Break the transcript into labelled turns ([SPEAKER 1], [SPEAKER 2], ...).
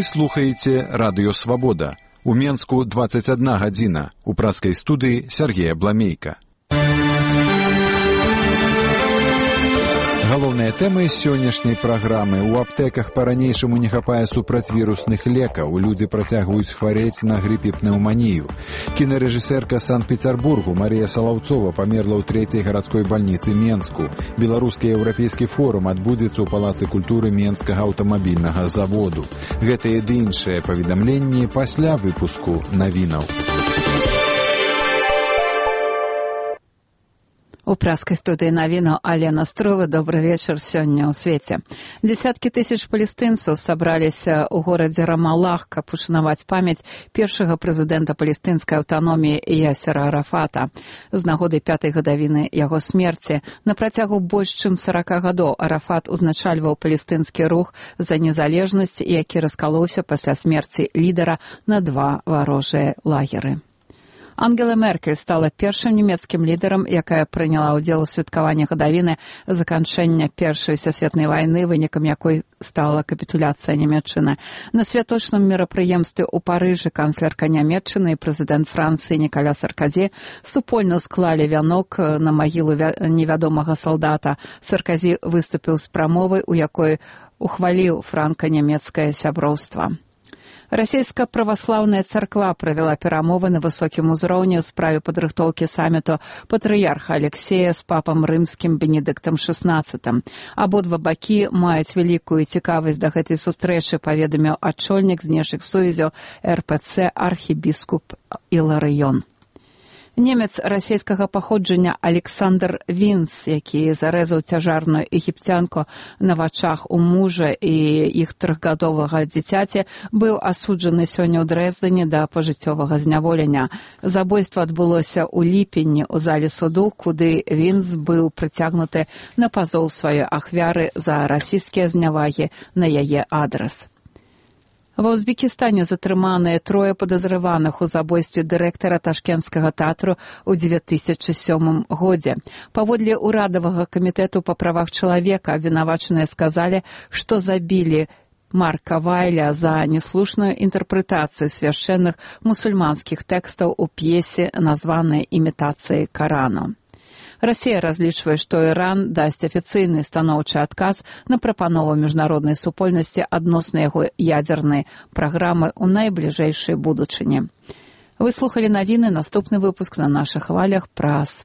[SPEAKER 1] Вы слухаеце Радыё Свабода. У Менску 21 гадзіна. У праскай студыі Сергея Бламейка. Галоўныя тэмы сённяшняй праграмы. У аптэках па-ранейшаму не хапае супрацьвірусных лекаў. Людзі працягваюць хварэць на грып і пнеўманію. Кінарэжысэрка Санкт-Пецярбургу Марія Салаўцова памерла ў 3-й гарадской бальніцы Менску. Беларускі еўрапейскі форум адбудзецца ў Палацы культуры Менскага аўтамабільнага заводу. Гэтыя ды іншыя паведамленні пасля выпуску навінаў.
[SPEAKER 2] У праскай студыі навінаў Алена Строва. Добры вечар сёння ў свеце. Дзесяткі тысяч палестынцаў сабраліся ў горадзе Рамалах, каб ушанаваць памяць першага прэзідэнта палестынскай аўтаноміі Ясера Арафата. З нагоды 5-й гадавіны яго смерці на працягу больш чым 40 гадоў Арафат узначальваў палестынскі рух за незалежнасць, які раскалоўся пасля смерці лідара на 2 варожыя лагеры. Ангела Меркель стала першым нямецкім лідарам, якая прыняла ўдзел у святкаванні гадавіны заканчэння Першай сусветнай вайны, вынікам якой стала капітуляцыя Нямецчыны. На святочным мерапрыемстве ў Парыжы канцлерка Нямецчыны і прэзідэнт Францыі Ніколя Саркозі супольна склалі вянок на магілу невядомага салдата. Саркозі выступіў з прамовай, у якой ухваліў франка-нямецкае сяброўства. Расійская праваслаўная царква правяла перамовы на высокім узроўні ў справе падрыхтоўкі саміту патрыярха Алексея з папам рымскім Бенедыктам XVI. Абодва бакі маюць вялікую цікавасць да гэтай сустрэчы, паведаміў ачольнік знешніх сувязяў РПЦ архібіскуп Іларыён. Немец расійскага паходжання Александр Вінц, які зарэзаў цяжарную егіпцянку на вачах у мужа і іх 3гадовага дзіцяці, быў асуджаны сёння ў Дрэздзене да пажыццёвага зняволення. Забойства адбылося ў ліпені ў зале суду, куды Вінц быў прыцягнуты на пазоў сваёй ахвяры за расійскія знявагі на яе адрас. Ва Узбекістане затрыманыя 3 падазраваных у забойстве дырэктара Ташкенскага тэатру ў 2007 годзе. Паводле ўрадавага камітэту па правах чалавека абвінавачаныя сказалі, што забілі Марка Вайля за неслушную інтэрпрэтацыю свяшчэнных мусульманскіх тэкстаў у п'есе, названай «Імітацыяй Карану». Расія разлічвае, што Іран дасць афіцыйны станоўчы адказ на прапанову міжнароднай супольнасці адносна яго ядзернай праграмы ў найбліжэйшай будучыні. Вы слухалі навіны, наступны выпуск на нашых хвалях праз